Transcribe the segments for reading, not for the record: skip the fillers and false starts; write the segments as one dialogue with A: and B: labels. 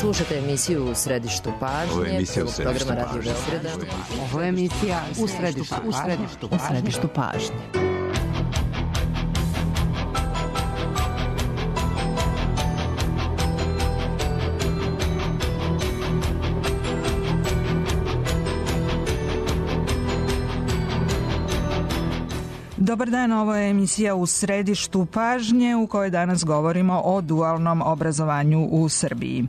A: Slušate emisiju U središtu pažnje.
B: Ovo je emisija U središtu
A: programa Radio Beograda.
C: Ovo je emisija U središtu pažnje.
D: Dobar dan, ovo je emisija U središtu pažnje u kojoj danas govorimo o dualnom obrazovanju u Srbiji.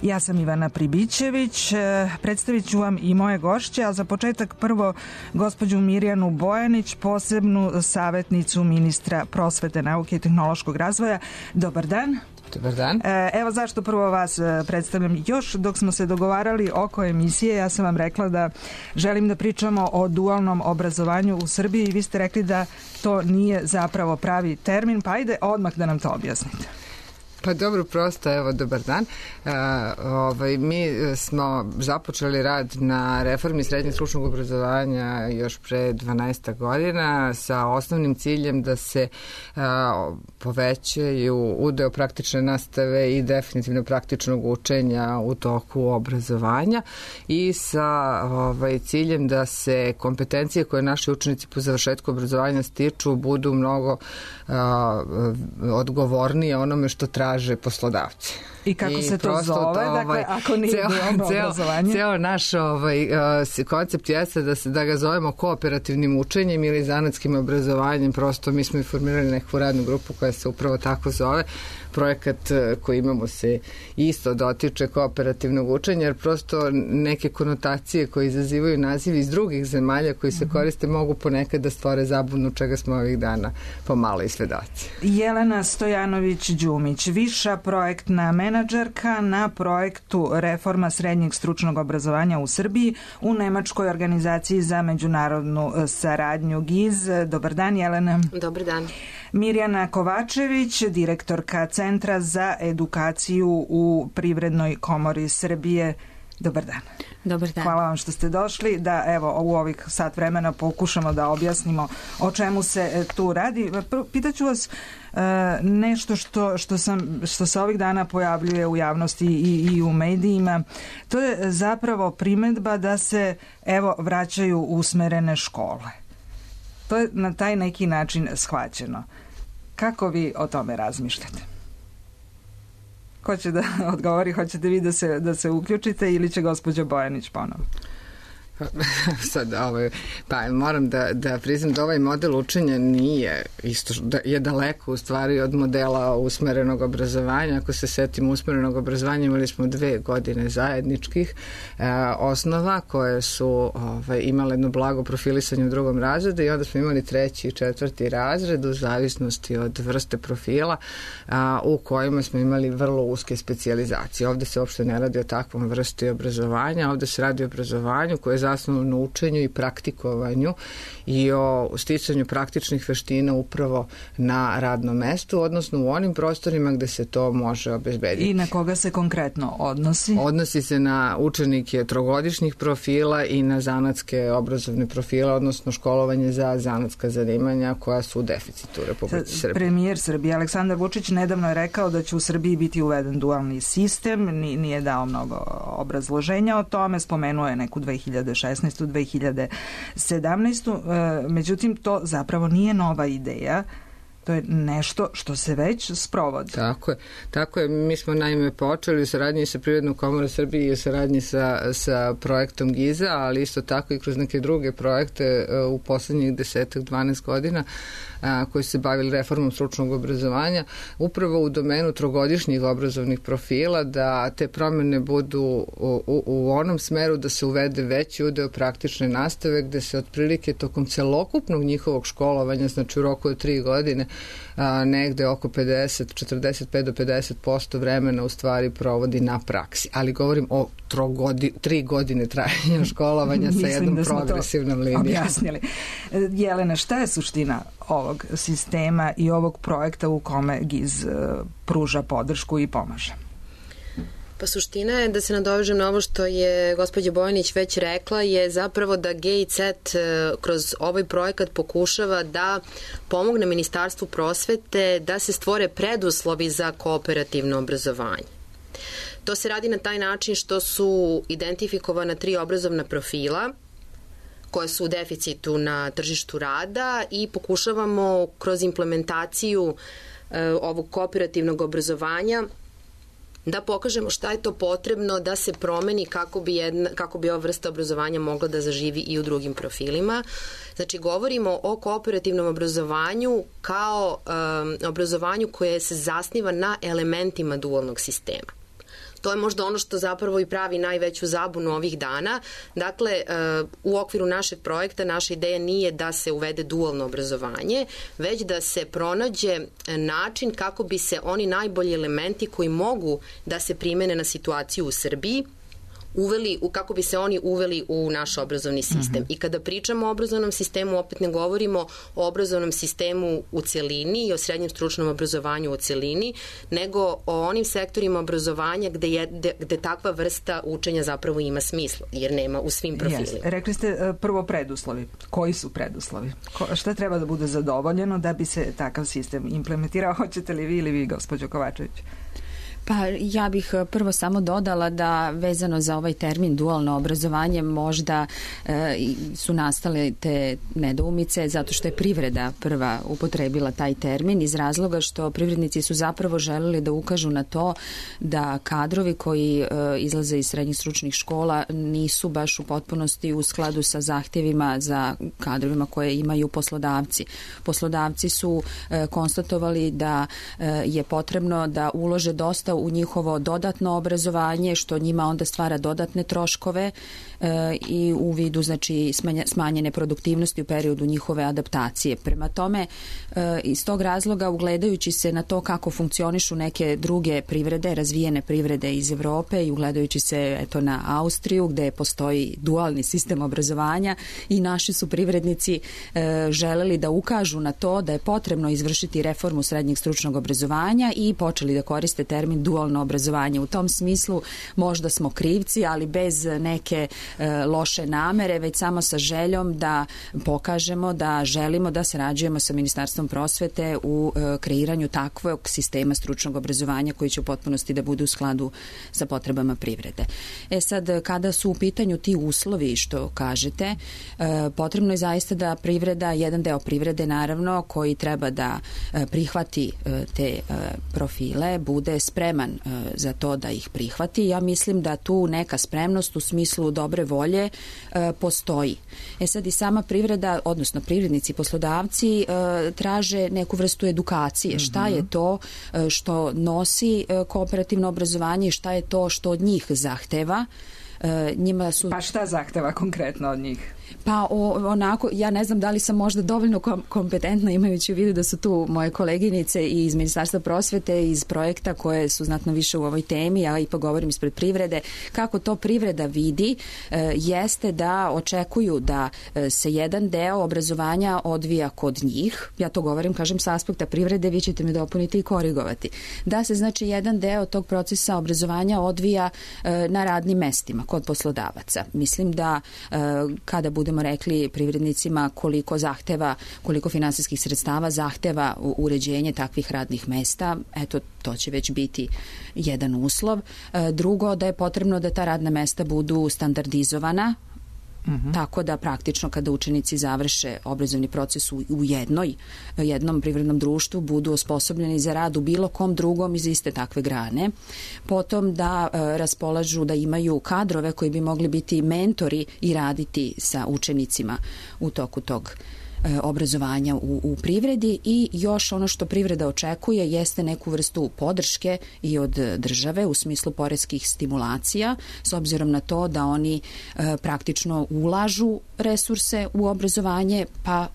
D: Ja sam Ivana Pribićević, predstavit ću vam i moje gošće, a za početak prvo gospođu Mirjanu Bojanić, posebnu savjetnicu ministra prosvete, nauke i tehnološkog razvoja. Dobar dan.
E: Dobar dan.
D: Evo zašto prvo vas predstavljam. Još dok smo se dogovarali oko emisije, ja sam vam rekla da želim da pričamo o dualnom obrazovanju u Srbiji i vi ste rekli da to nije zapravo pravi termin, pa ajde odmah da nam to objasnite.
E: Pa dobro, prosto, evo, dobar dan. Mi smo započeli rad na reformi srednjeg stručnog obrazovanja još pre 12 godina sa osnovnim ciljem da se povećaju udeo praktične nastave i definitivno praktičnog učenja u toku obrazovanja i sa ciljem da se kompetencije koje naši učenici po završetku obrazovanja stiču budu mnogo odgovornije onome što traže poslodavci.
D: I kako se to zove, dakle, ako nije dualno obrazovanje?
E: Ceo naš koncept jeste da ga zovemo kooperativnim učenjem ili zanatskim obrazovanjem. Prosto mi smo i formirali neku radnu grupu koja se upravo tako zove. Projekat koji imamo se isto dotiče kooperativnog učenja, jer prosto neke konotacije koje izazivaju nazivi iz drugih zemalja koji se koriste mogu ponekad da stvore zabunu, čega smo ovih dana pomalo i svedoci.
D: Jelena Stojanović-Đumić, viša projektna menadžerka na projektu Reforma srednjeg stručnog obrazovanja u Srbiji u Nemačkoj organizaciji za međunarodnu saradnju GIZ. Dobar dan, Jelena.
F: Dobar dan.
D: Mirjana Kovačević, direktorka Centra za edukaciju u Privrednoj komori Srbije. Dobar dan.
F: Dobar dan.
D: Hvala vam što ste došli da evo u ovih sat vremena pokušamo da objasnimo o čemu se tu radi. Pitaću vas nešto što se ovih dana pojavljuje u javnosti i u medijima. To je zapravo primedba da se evo vraćaju usmerene škole. To je na taj neki način shvaćeno. Kako vi o tome razmišljate? Ko će da odgovori? Hoćete vi da se uključite ili će gospođa Bojanić ponovo?
E: Sad, pa moram da priznam da ovaj model učenja nije isto, je daleko u stvari od modela usmerenog obrazovanja. Ako se setimo usmerenog obrazovanja, imali smo 2 godine zajedničkih osnova koje su imale jedno blago profilisanje u 2. razredu i onda smo imali 3. i 4. razred u zavisnosti od vrste profila u kojima smo imali vrlo uske specijalizacije. Ovde se uopšte ne radi o takvom vrsti obrazovanja, ovde se radi o obrazovanju koje je zasnovano na učenju i praktikovanju i o sticanju praktičnih veština upravo na radnom mestu, odnosno u onim prostorima gde se to može obezbediti.
D: I na koga se konkretno odnosi?
E: Odnosi se na učenike trogodišnjih profila i na zanatske obrazovne profile, odnosno školovanje za zanatska zanimanja koja su u deficitu u Republici Srbiji.
D: Premijer Srbije Aleksandar Vučić nedavno je rekao da će u Srbiji biti uveden dualni sistem, nije dao mnogo obrazloženja o tome, spomenuo je neku 2016. 2017. Međutim, to zapravo nije nova ideja. To je nešto što se već sprovodi.
E: Tako je. Mi smo naime počeli u saradnji sa Privrednom komorom Srbije i u saradnji sa projektom GIZ-a, ali isto tako i kroz neke druge projekte u poslednjih 10-12 godina koji se bavili reformom stručnog obrazovanja, upravo u domenu trogodišnjih obrazovnih profila, da te promene budu u onom smeru da se uvede veći udeo praktične nastave, gde se otprilike tokom celokupnog njihovog školovanja, znači u roku od 3 godine, negde oko 45 do 50% vremena u stvari provodi na praksi. Ali govorim o 3 godine trajanja školovanja sa jednom progresivnom linijom.
D: Objasnili. Jelena, šta je suština ovog sistema i ovog projekta u kome GIZ pruža podršku i pomaže?
F: Pa suština je, da se nadovežem na ovo što je gospođa Bojanić već rekla, je zapravo da GIZ kroz ovaj projekat pokušava da pomogne Ministarstvu prosvete da se stvore preduslovi za kooperativno obrazovanje. To se radi na taj način što su identifikovana 3 obrazovna profila koje su u deficitu na tržištu rada i pokušavamo kroz implementaciju ovog kooperativnog obrazovanja da pokažemo šta je to potrebno da se promeni kako bi ova vrsta obrazovanja mogla da zaživi i u drugim profilima. Znači, govorimo o kooperativnom obrazovanju kao obrazovanju koje se zasniva na elementima dualnog sistema. To je možda ono što zapravo i pravi najveću zabunu ovih dana. Dakle, u okviru našeg projekta naša ideja nije da se uvede dualno obrazovanje, već da se pronađe način kako bi se oni najbolji elementi koji mogu da se primene na situaciju u Srbiji kako bi se oni uveli u naš obrazovni sistem. I kada pričamo o obrazovnom sistemu, opet ne govorimo o obrazovnom sistemu u celini i o srednjem stručnom obrazovanju u celini, nego o onim sektorima obrazovanja gde takva vrsta učenja zapravo ima smisla, jer nema u svim profilima.
D: Rekli ste prvo preduslovi. Koji su preduslovi? Šta treba da bude zadovoljeno da bi se takav sistem implementirao? Hoćete li vi ili vi, gospođo Kovačević?
B: Pa ja bih prvo samo dodala da vezano za ovaj termin dualno obrazovanje možda su nastale te nedoumice zato što je privreda prva upotrebila taj termin iz razloga što privrednici su zapravo želeli da ukažu na to da kadrovi koji izlaze iz srednjih stručnih škola nisu baš u potpunosti u skladu sa zahtjevima za kadrovima koje imaju poslodavci. Poslodavci su konstatovali da je potrebno da ulože dosta u njihovo dodatno obrazovanje, što njima onda stvara dodatne troškove i u vidu znači smanjene produktivnosti u periodu njihove adaptacije. Prema tome, iz tog razloga, ugledajući se na to kako funkcionišu neke druge privrede, razvijene privrede iz Evrope i ugledajući se na Austriju gde postoji dualni sistem obrazovanja, i naši su privrednici želeli da ukažu na to da je potrebno izvršiti reformu srednjeg stručnog obrazovanja i počeli da koriste termin dualno obrazovanje. U tom smislu možda smo krivci, ali bez neke loše namere, već samo sa željom da pokažemo da želimo da sarađujemo sa Ministarstvom prosvete u kreiranju takvog sistema stručnog obrazovanja koji će u potpunosti da bude u skladu sa potrebama privrede. Sad, kada su u pitanju ti uslovi što kažete, potrebno je zaista da privreda, jedan deo privrede naravno, koji treba da prihvati te profile, bude spreman za to da ih prihvati. Ja mislim da tu neka spremnost u smislu dobre volje postoji. Sad i sama privreda, odnosno privrednici, poslodavci traže neku vrstu edukacije. Šta je to što nosi kooperativno obrazovanje i šta je to što od njih zahteva.
D: Pa šta zahteva konkretno od njih?
B: Pa onako, ja ne znam da li sam možda dovoljno kompetentna, imajući u vidu da su tu moje koleginice i iz Ministarstva prosvete, iz projekta koje su znatno više u ovoj temi, ja ipak govorim ispred privrede. Kako to privreda vidi jeste da očekuju da se jedan deo obrazovanja odvija kod njih. Ja to govorim, kažem, sa aspekta privrede, vi ćete me dopuniti i korigovati. Da se znači jedan deo tog procesa obrazovanja odvija na radnim mestima kod poslodavaca. Mislim da kada budemo rekli privrednicima koliko finansijskih sredstava zahteva uređenje takvih radnih mesta, eto, to će već biti jedan uslov. Drugo, da je potrebno da ta radna mesta budu standardizovana, tako da praktično kada učenici završe obrazovni proces u jednom privrednom društvu budu osposobljeni za rad u bilo kom drugom iz iste takve grane. Potom da raspolažu, da imaju kadrove koji bi mogli biti mentori i raditi sa učenicima u toku tog obrazovanja u privredi. I još ono što privreda očekuje jeste neku vrstu podrške i od države u smislu poreskih stimulacija, s obzirom na to da oni praktično ulažu resurse u obrazovanje, pa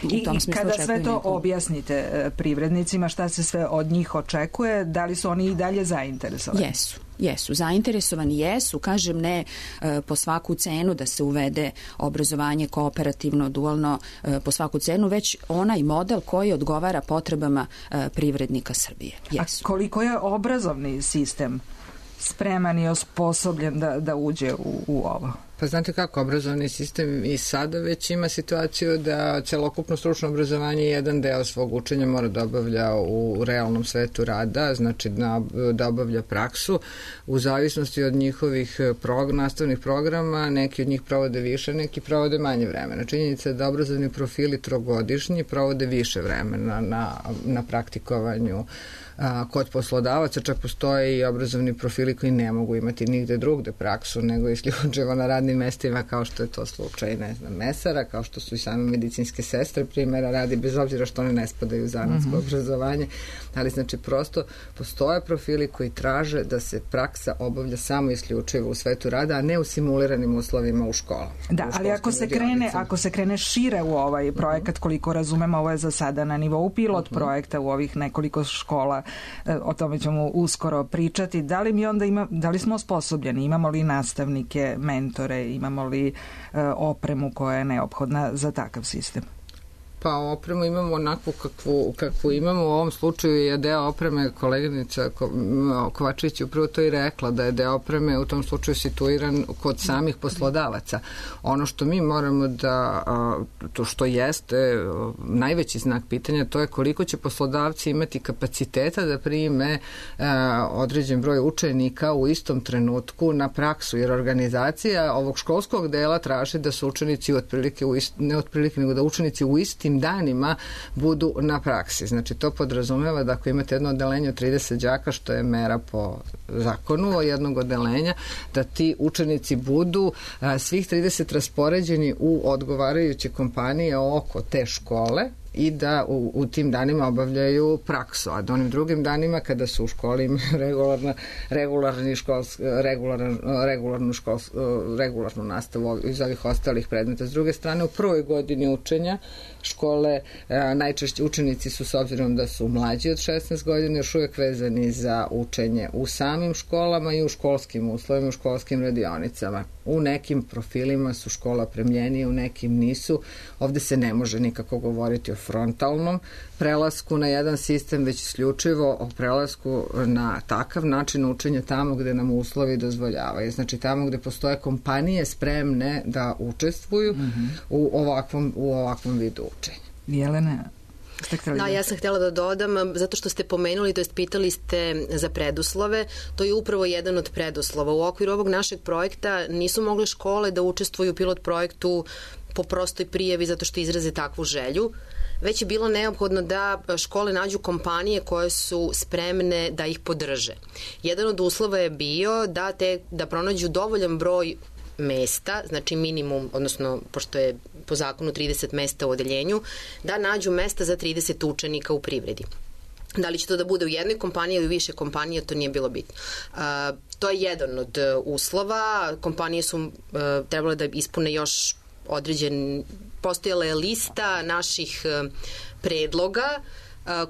B: u tom smislu
D: kada sve to objasnite privrednicima, šta se sve od njih očekuje, da li su oni i dalje zainteresovani?
B: Jesu, zainteresovani jesu, kažem, ne po svaku cenu da se uvede obrazovanje kooperativno, dualno po svaku cenu, već onaj model koji odgovara potrebama privrednika Srbije. Jesu.
D: A koliko je obrazovni sistem spreman i osposobljen da uđe u ovo?
E: Pa znate kako, obrazovni sistem i sada već ima situaciju da celokupno stručno obrazovanje jedan deo svog učenja mora da obavlja u realnom svetu rada, znači da obavlja praksu. U zavisnosti od njihovih nastavnih programa, neki od njih provode više, neki provode manje vremena. Činjenica je da obrazovni profili trogodišnji provode više vremena na praktikovanju kod poslodavaca, čak postoje i obrazovni profili koji ne mogu imati nigde drugde praksu, nego isključivo na radnim mestima, kao što je to slučaj, ne znam, mesara, kao što su i same medicinske sestre, primjera radi, bez obzira što one ne spadaju u zanatsko obrazovanje, ali znači prosto postoje profili koji traže da se praksa obavlja samo isključivo u svetu rada, a ne u simuliranim uslovima u školama.
D: Da, ali ako se krene šire u ovaj projekat, koliko razumemo, ovo je za sada na nivou pilot projekta u ovih nekoliko škola, o tome ćemo uskoro pričati. Da li smo osposobljeni? Imamo li nastavnike, mentore? Imamo li opremu koja je neophodna za takav sistem?
E: Pa opremu imamo onakvu kakvu imamo. U ovom slučaju je deo opreme, koleginica Kovačević upravo to i rekla, da je deo opreme u tom slučaju situiran kod samih poslodavaca. Ono što mi moramo to što jeste najveći znak pitanja, to je koliko će poslodavci imati kapaciteta da prime određen broj učenika u istom trenutku na praksu, jer organizacija ovog školskog dela traži da su učenici nego da učenici u istim danima budu na praksi. Znači, to podrazumeva da ako imate jedno odeljenje od 30 đaka, što je mera po zakonu od jednog odeljenja, da ti učenici budu svih 30 raspoređeni u odgovarajuće kompanije oko te škole i da u tim danima obavljaju praksu, a da onim drugim danima kada su u školi imaju regularnu nastavu iz ovih ostalih predmeta. S druge strane, u prvoj godini učenja škole najčešće učenici su, s obzirom da su mlađi od 16 godina, još uvijek vezani za učenje u samim školama i u školskim uslovima, u školskim radionicama. U nekim profilima su škola opremljenije, u nekim nisu. Ovde se ne može nikako govoriti o frontalnom prelasku na jedan sistem, već isključivo o prelasku na takav način učenja tamo gde nam uslovi dozvoljavaju. Znači tamo gde postoje kompanije spremne da učestvuju u ovakvom vidu učenja.
D: Jelena?
F: Da, ja sam htjela da dodam, zato što ste pomenuli, to jest pitali ste za preduslove, to je upravo jedan od preduslova. U okviru ovog našeg projekta nisu mogle škole da učestvuju u pilot projektu po prostoj prijavi zato što izraze takvu želju, već je bilo neophodno da škole nađu kompanije koje su spremne da ih podrže. Jedan od uslova je bio da pronađu dovoljan broj mesta, znači minimum, odnosno pošto je po zakonu 30 mesta u odeljenju, da nađu mesta za 30 učenika u privredi. Da li će to da bude u jednoj kompaniji ili više kompanija, to nije bilo bitno. To je jedan od uslova. Kompanije su trebale da ispune još postojala je lista naših predloga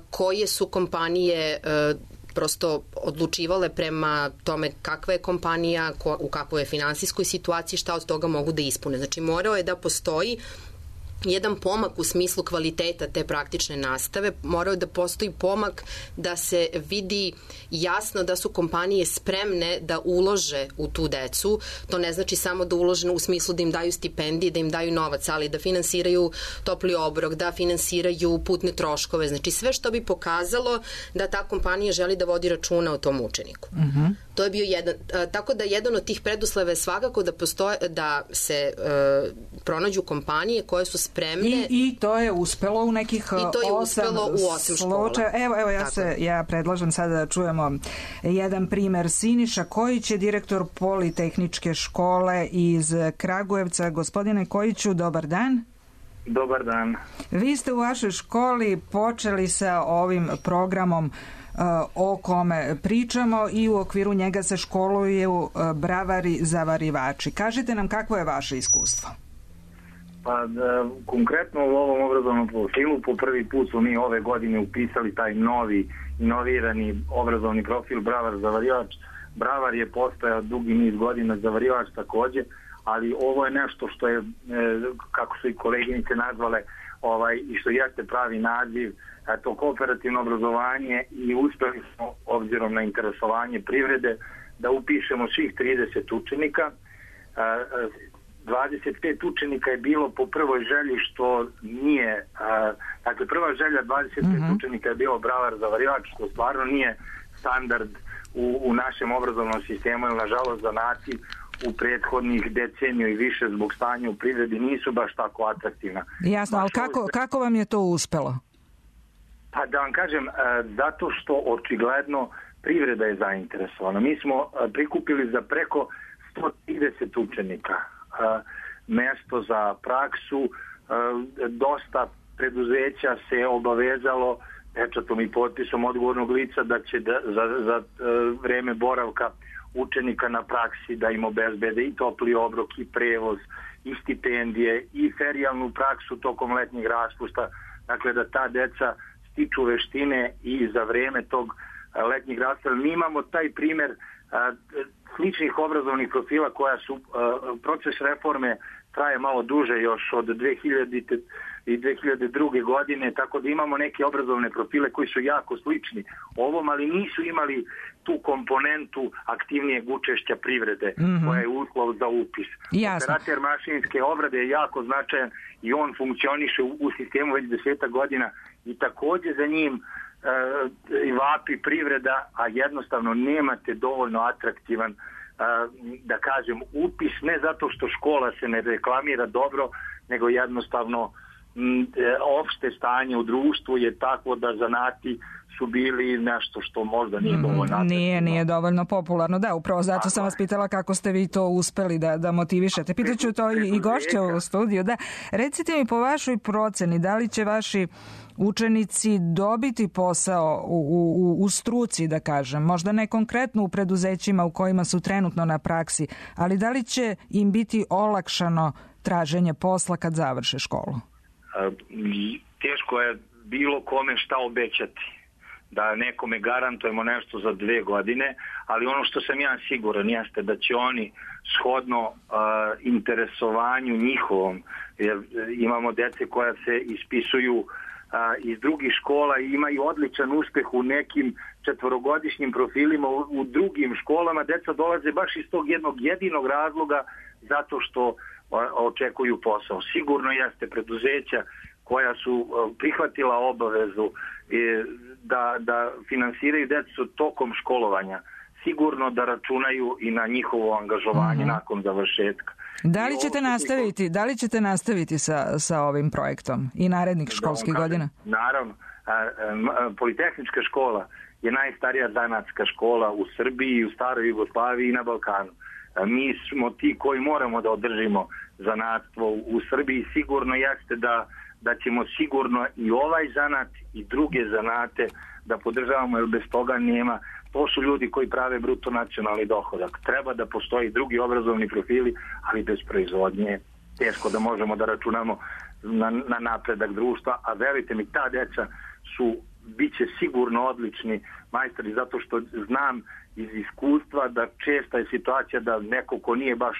F: koje su kompanije prosto odlučivale prema tome kakva je kompanija, u kakvoj je finansijskoj situaciji, šta od toga mogu da ispune. Znači morao je da postoji jedan pomak u smislu kvaliteta te praktične nastave, morao da postoji pomak da se vidi jasno da su kompanije spremne da ulože u tu decu. To ne znači samo da ulože u smislu da im daju stipendije, da im daju novac, ali da finansiraju topli obrok, da finansiraju putne troškove. Znači sve što bi pokazalo da ta kompanija želi da vodi računa o tom učeniku. To je bio tako da jedan od tih preduslova je svakako da se pronađu kompanije koje su spremne.
D: I to je uspelo u nekih 8
F: škola.
D: Evo ja predlažem sada da čujemo jedan primer. Siniša Kojić je direktor Politehničke škole iz Kragujevca. Gospodine Kojiću, dobar dan.
G: Dobar dan.
D: Vi ste u vašoj školi počeli sa ovim programom o kome pričamo i u okviru njega se školuju bravari zavarivači. Kažite nam kakvo je vaše iskustvo?
G: Pa konkretno u ovom obrazovnom profilu po prvi put smo mi ove godine upisali taj novi inovirani obrazovni profil bravar zavarivač. Bravar je postojao dugi niz godina, zavarivač takođe, ali ovo je nešto što je, kako su i koleginice nazvale, i što jeste pravi naziv, to kooperativno obrazovanje, i uspeli smo, obzirom na interesovanje privrede, da upišemo svih 30 učenika. 25 učenika je bilo po prvoj želji, što nije, dakle prva želja 25 učenika je bilo bravar zavarivač, što stvarno nije standard u našem obrazovnom sistemu, jer nažalost zanati u prethodnih deceniju i više zbog stanja u privredi nisu baš tako atraktivna.
D: Jasno, ali kako vam je to uspelo?
G: Pa da vam kažem, zato što očigledno privreda je zainteresovana. Mi smo prikupili za preko 130 učenika mesto za praksu, dosta preduzeća se obavezalo pečatom i potpisom odgovornog lica da će za vreme boravka učenika na praksi da im obezbede i topli obrok i prevoz i stipendije i ferijalnu praksu tokom letnjeg raspusta, dakle da ta deca stiču veštine i za vreme tog letnjeg raspusta. Mi imamo taj primer sličnih obrazovnih profila koja su, proces reforme traje malo duže još od 2000. i 2002. godine, tako da imamo neke obrazovne profile koji su jako slični ovom, ali nisu imali tu komponentu aktivnijeg učešća privrede, koja je uslov za upis. Operater mašinske obrade je jako značajan i on funkcioniše u sistemu već 10 godina i takođe za njim vapi privreda, a jednostavno nemate dovoljno atraktivan, da kažem, upis, ne zato što škola se ne reklamira dobro, nego jednostavno opšte stanje u društvu je tako da zanati su bili nešto što možda nije dovoljno.
D: Nije dovoljno popularno, da, upravo zato sam vas pitala kako ste vi to uspeli da motivišete. Pitaću to i gošće u studiju. Da. Recite mi po vašoj proceni, da li će vaši učenici dobiti posao u struci, da kažem, možda ne konkretno u preduzećima u kojima su trenutno na praksi, ali da li će im biti olakšano traženje posla kad završe školu?
G: Teško je bilo kome šta obećati, da nekome garantujemo nešto za 2 godine, ali ono što sam ja siguran jeste da će oni shodno interesovanju njihovom, jer imamo dece koja se ispisuju iz drugih škola i imaju odličan uspeh u nekim 4-godišnjim profilima u drugim školama, deca dolaze baš iz tog jednog jedinog razloga zato što očekuju posao. Sigurno jeste preduzeća koja su prihvatila obavezu da finansiraju decu tokom školovanja, sigurno da računaju i na njihovo angažovanje nakon završetka.
D: Da li ćete nastaviti sa ovim projektom i narednih školskih godina?
G: Naravno. Politehnička škola je najstarija zanatska škola u Srbiji, u staroj Jugoslaviji i na Balkanu. Mi smo ti koji moramo da održimo zanatstvo u Srbiji. Sigurno jeste da ćemo sigurno i ovaj zanat i druge zanate da podržavamo, jer bez toga nema. To su ljudi koji prave bruto nacionalni dohodak. Treba da postoji drugi obrazovni profili, ali bez proizvodnje teško da možemo da računamo na napredak društva, a verujte mi, ta deca biće sigurno odlični majstori, zato što znam iz iskustva da česta je situacija da neko ko nije baš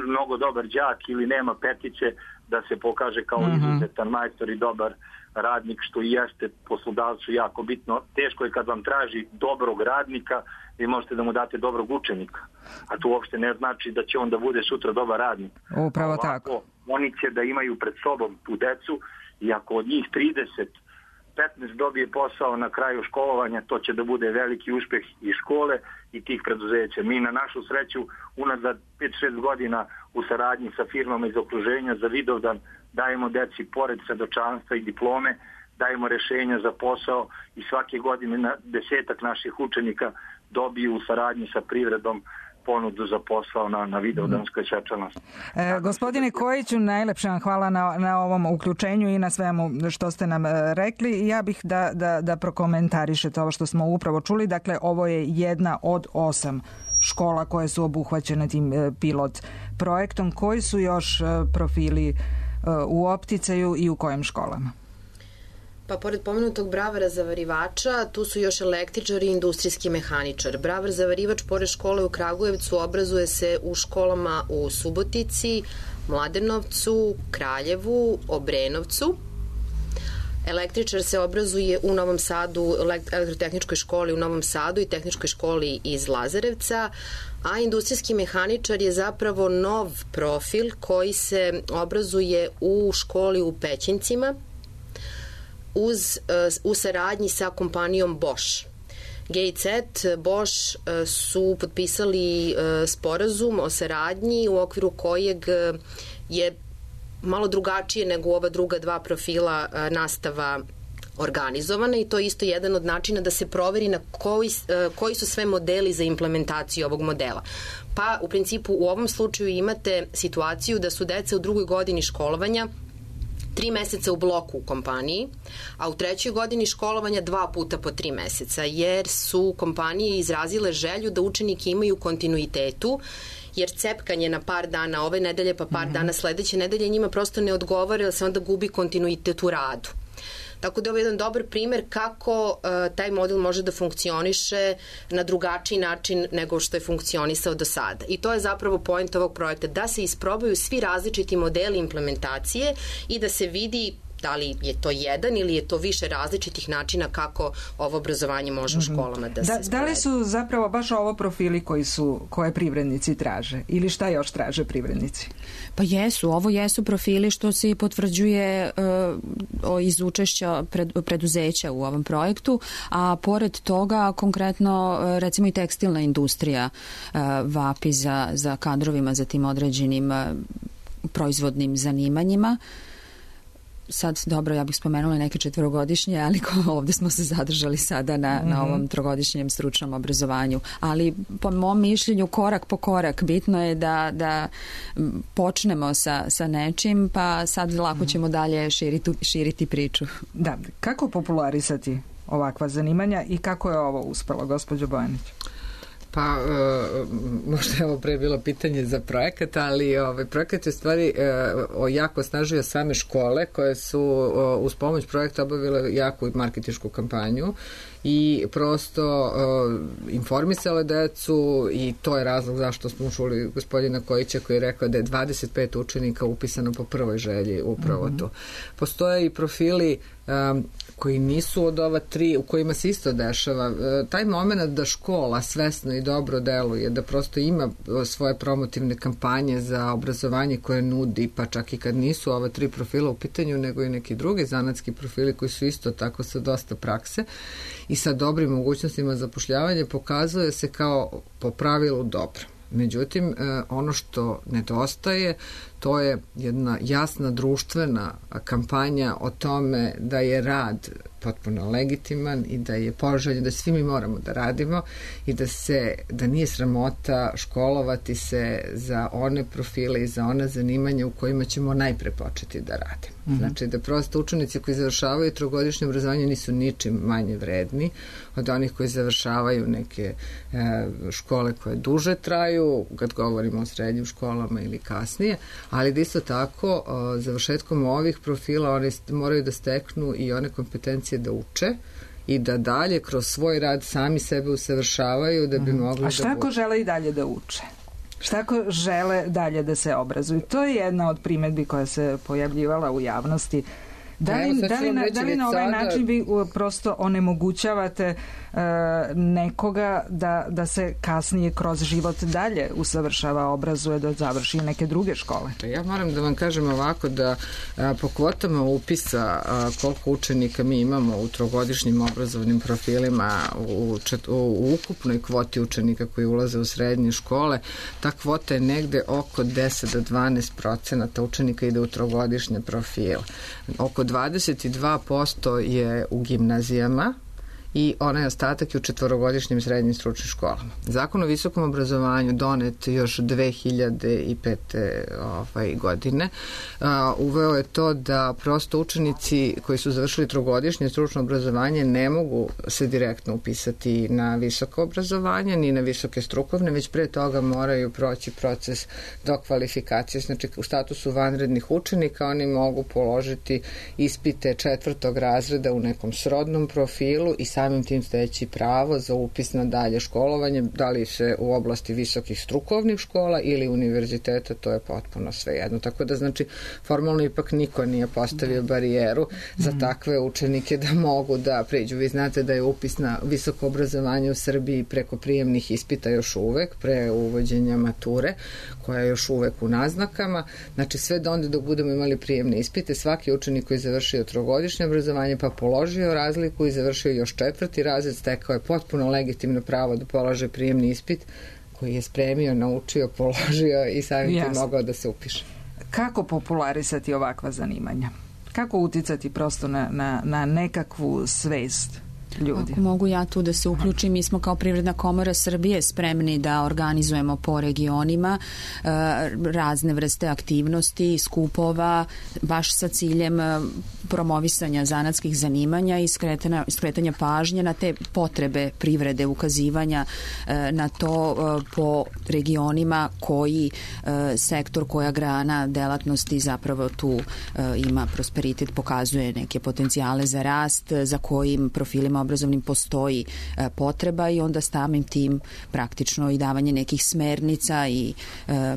G: mnogo dobar đak ili nema petice, da se pokaže kao izuzetan majstor i dobar radnik, što i jeste poslodavcu jako bitno. Teško je kad vam traži dobrog radnika, vi možete da mu date dobrog učenika, a to uopšte ne znači da će on da bude sutra dobar radnik.
D: Upravo ovako, tako.
G: Oni će da imaju pred sobom tu decu i ako od njih 15 dobije posao na kraju školovanja, to će da bude veliki uspeh i škole i tih preduzeća. Mi na našu sreću unazad 5-6 godina u saradnji sa firmama iz okruženja za Vidovdan dajemo deci pored svedočanstva i diplome, dajemo rešenja za posao i svake godine 10 naših učenika dobiju u saradnji sa privredom ponudu za posao na Vidovdanskoj svečanosti.
D: Gospodine Kojiću, najlepše vam hvala na ovom uključenju i na svemu što ste nam rekli. Ja bih da prokomentarišete ovo što smo upravo čuli. Dakle, ovo je jedna od 8 škola koje su obuhvaćene tim pilot projektom. Koji su još profili u opticaju i u kojim školama?
F: Pa pored pomenutog bravara zavarivača, tu su još električar i industrijski mehaničar. Bravar zavarivač pored škole u Kragujevcu obrazuje se u školama u Subotici, Mladenovcu, Kraljevu, Obrenovcu. Električar se obrazuje u Novom Sadu, elektrotehničkoj školi u Novom Sadu i tehničkoj školi iz Lazarevca, a industrijski mehaničar je zapravo nov profil koji se obrazuje u školi u Pećincima u saradnji sa kompanijom Bosch. GIZ, Bosch su potpisali sporazum o saradnji u okviru kojeg je malo drugačije nego ova druga dva profila nastava organizovana i to je isto jedan od načina da se proveri na koji su sve modeli za implementaciju ovog modela. Pa u principu u ovom slučaju imate situaciju da su deca u drugoj godini školovanja 3 meseca u bloku u kompaniji, a u 3. godini školovanja 2 puta po 3 meseca, jer su kompanije izrazile želju da učeniki imaju kontinuitetu, jer cepkanje na par dana ove nedelje pa par dana sledeće nedelje njima prosto ne odgovara, jer se onda gubi kontinuitet u radu. Tako da je ovo jedan dobar primer kako taj model može da funkcioniše na drugačiji način nego što je funkcionisao do sada. I to je zapravo point ovog projekta, da se isprobaju svi različiti modeli implementacije i da se vidi da li je to jedan ili je to više različitih načina kako ovo obrazovanje može u školama da se sprovede.
D: Da li su zapravo baš ovo profili koje privrednici traže ili šta još traže privrednici?
B: Pa ovo jesu profili što se potvrđuje iz učešća preduzeća u ovom projektu, a pored toga konkretno recimo i tekstilna industrija vapi za kadrovima, za tim određenim proizvodnim zanimanjima. Sad, dobro, ja bih spomenula neke 4-godišnje, ali ovde smo se zadržali sada na ovom 3-godišnjem stručnom obrazovanju. Ali po mom mišljenju, korak po korak, bitno je da počnemo sa nečim, pa sad lako ćemo dalje širiti priču.
D: Da, kako popularisati ovakva zanimanja i kako je ovo uspelo, gospođo Bojanić?
E: Pa, možda je ovo pre bilo pitanje za projekat, ali projekat je u stvari jako osnažio same škole koje su uz pomoć projekta obavile jaku marketinšku kampanju i prosto informisale decu i to je razlog zašto smo čuli gospodina Kojića koji je rekao da je 25 učenika upisano po prvoj želji upravo tu. Postoje i profili koji nisu od ova 3 u kojima se isto dešava. Taj moment da škola svesno i dobro deluje, da prosto ima svoje promotivne kampanje za obrazovanje koje nudi, pa čak i kad nisu ova 3 profila u pitanju, nego i neki drugi zanatski profili koji su isto tako sa dosta prakse i sa dobrim mogućnostima zapošljavanja, pokazuje se kao po pravilu dobro. Međutim, ono što nedostaje, to je jedna jasna društvena kampanja o tome da je rad potpuno legitiman i da je poželjen, da svi mi moramo da radimo i da nije sramota školovati se za one profile i za ona zanimanja u kojima ćemo najpre početi da radimo. Znači da prosto učenici koji završavaju 3-godišnje obrazovanje nisu ničim manje vredni od onih koji završavaju neke škole koje duže traju, kad govorimo o srednjim školama ili kasnije, ali da isto tako završetkom ovih profila oni moraju da steknu i one kompetencije da uče i da dalje kroz svoj rad sami sebe usavršavaju da bi mogli da...
D: A šta ako žele i dalje da uče? Šta ako žele dalje da se obrazuju? To je jedna od primedbi koja se pojavljivala u javnosti. Da li na ovaj način vi prosto onemogućavate nekoga da se kasnije kroz život dalje usavršava, obrazuje, da završi neke druge škole?
E: Ja moram da vam kažem ovako da po kvotama upisa koliko učenika mi imamo u 3-godišnjim obrazovnim profilima u ukupnoj kvoti učenika koji ulaze u srednje škole, ta kvota je negde oko 10 do 12% učenika ide u 3-godišnje profile. Oko 22% je u gimnazijama i onaj ostatak je u 4-godišnjim srednjim stručnim školama. Zakon o visokom obrazovanju donet još 2005. Godine uveo je to da prosto učenici koji su završili 3-godišnje stručno obrazovanje ne mogu se direktno upisati na visoko obrazovanje ni na visoke strukovne, već pre toga moraju proći proces dokvalifikacije. Znači u statusu vanrednih učenika oni mogu položiti ispite 4. razreda u nekom srodnom profilu i sad samim tim steći pravo za upis na dalje školovanje, da li se u oblasti visokih strukovnih škola ili univerziteta, to je potpuno svejedno. Tako da znači formalno ipak niko nije postavio barijeru za takve učenike da mogu da pređu. Vi znate da je upis na visoko obrazovanje u Srbiji preko prijemnih ispita još uvek, pre uvođenja mature, koja je još uvek u naznakama. Znači sve do onda dok budemo imali prijemne ispite, svaki učenik koji je završio trogodišnje obrazovanje pa položio razliku i završio još 4. razred, stekao je potpuno legitimno pravo da polaže prijemni ispit koji je spremio, naučio, položio i samim tim mogao da se upiše.
D: Kako popularisati ovakva zanimanja? Kako uticati prosto na nekakvu svest ljudi?
B: Ako mogu ja tu da se uključim, mi smo kao Privredna komora Srbije spremni da organizujemo po regionima razne vrste aktivnosti, skupova, baš sa ciljem promovisanja zanatskih zanimanja i skretanja pažnje na te potrebe privrede, ukazivanja na to po regionima koji sektor, koja grana delatnosti zapravo tu ima prosperitet, pokazuje neke potencijale za rast, za kojim profilima obrazovnim postoji potreba i onda samim tim praktično i davanje nekih smernica i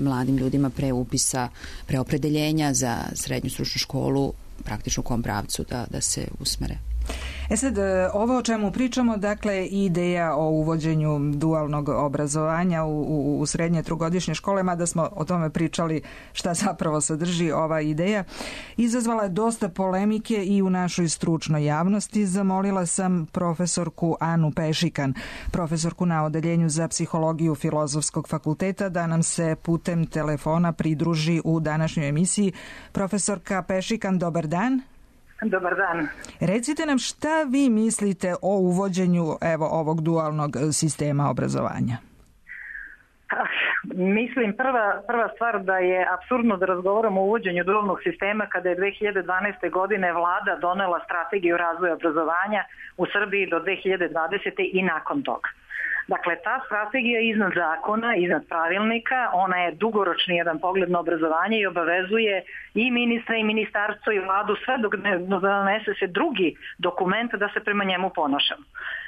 B: mladim ljudima pre upisa, pre opredeljenja za srednju stručnu školu praktično u kom pravcu da se usmere.
D: Sad, ovo o čemu pričamo, dakle, ideja o uvođenju dualnog obrazovanja u srednje trogodišnje škole, mada smo o tome pričali šta zapravo sadrži ova ideja, izazvala je dosta polemike i u našoj stručnoj javnosti. Zamolila sam profesorku Anu Pešikan, profesorku na Odeljenju za psihologiju Filozofskog fakulteta, da nam se putem telefona pridruži u današnjoj emisiji. Profesorka Pešikan, dobar dan.
H: Dobar dan.
D: Recite nam šta vi mislite o uvođenju ovog dualnog sistema obrazovanja?
H: Mislim, prva stvar da je apsurdno da razgovaramo o uvođenju dualnog sistema kada je 2012. godine vlada donela strategiju razvoja obrazovanja u Srbiji do 2020. i nakon toga. Dakle, ta strategija je iznad zakona, iznad pravilnika, ona je dugoročni jedan pogled na obrazovanje i obavezuje i ministra i ministarstvo i vladu sve dok ne donese se drugi dokument da se prema njemu ponašamo.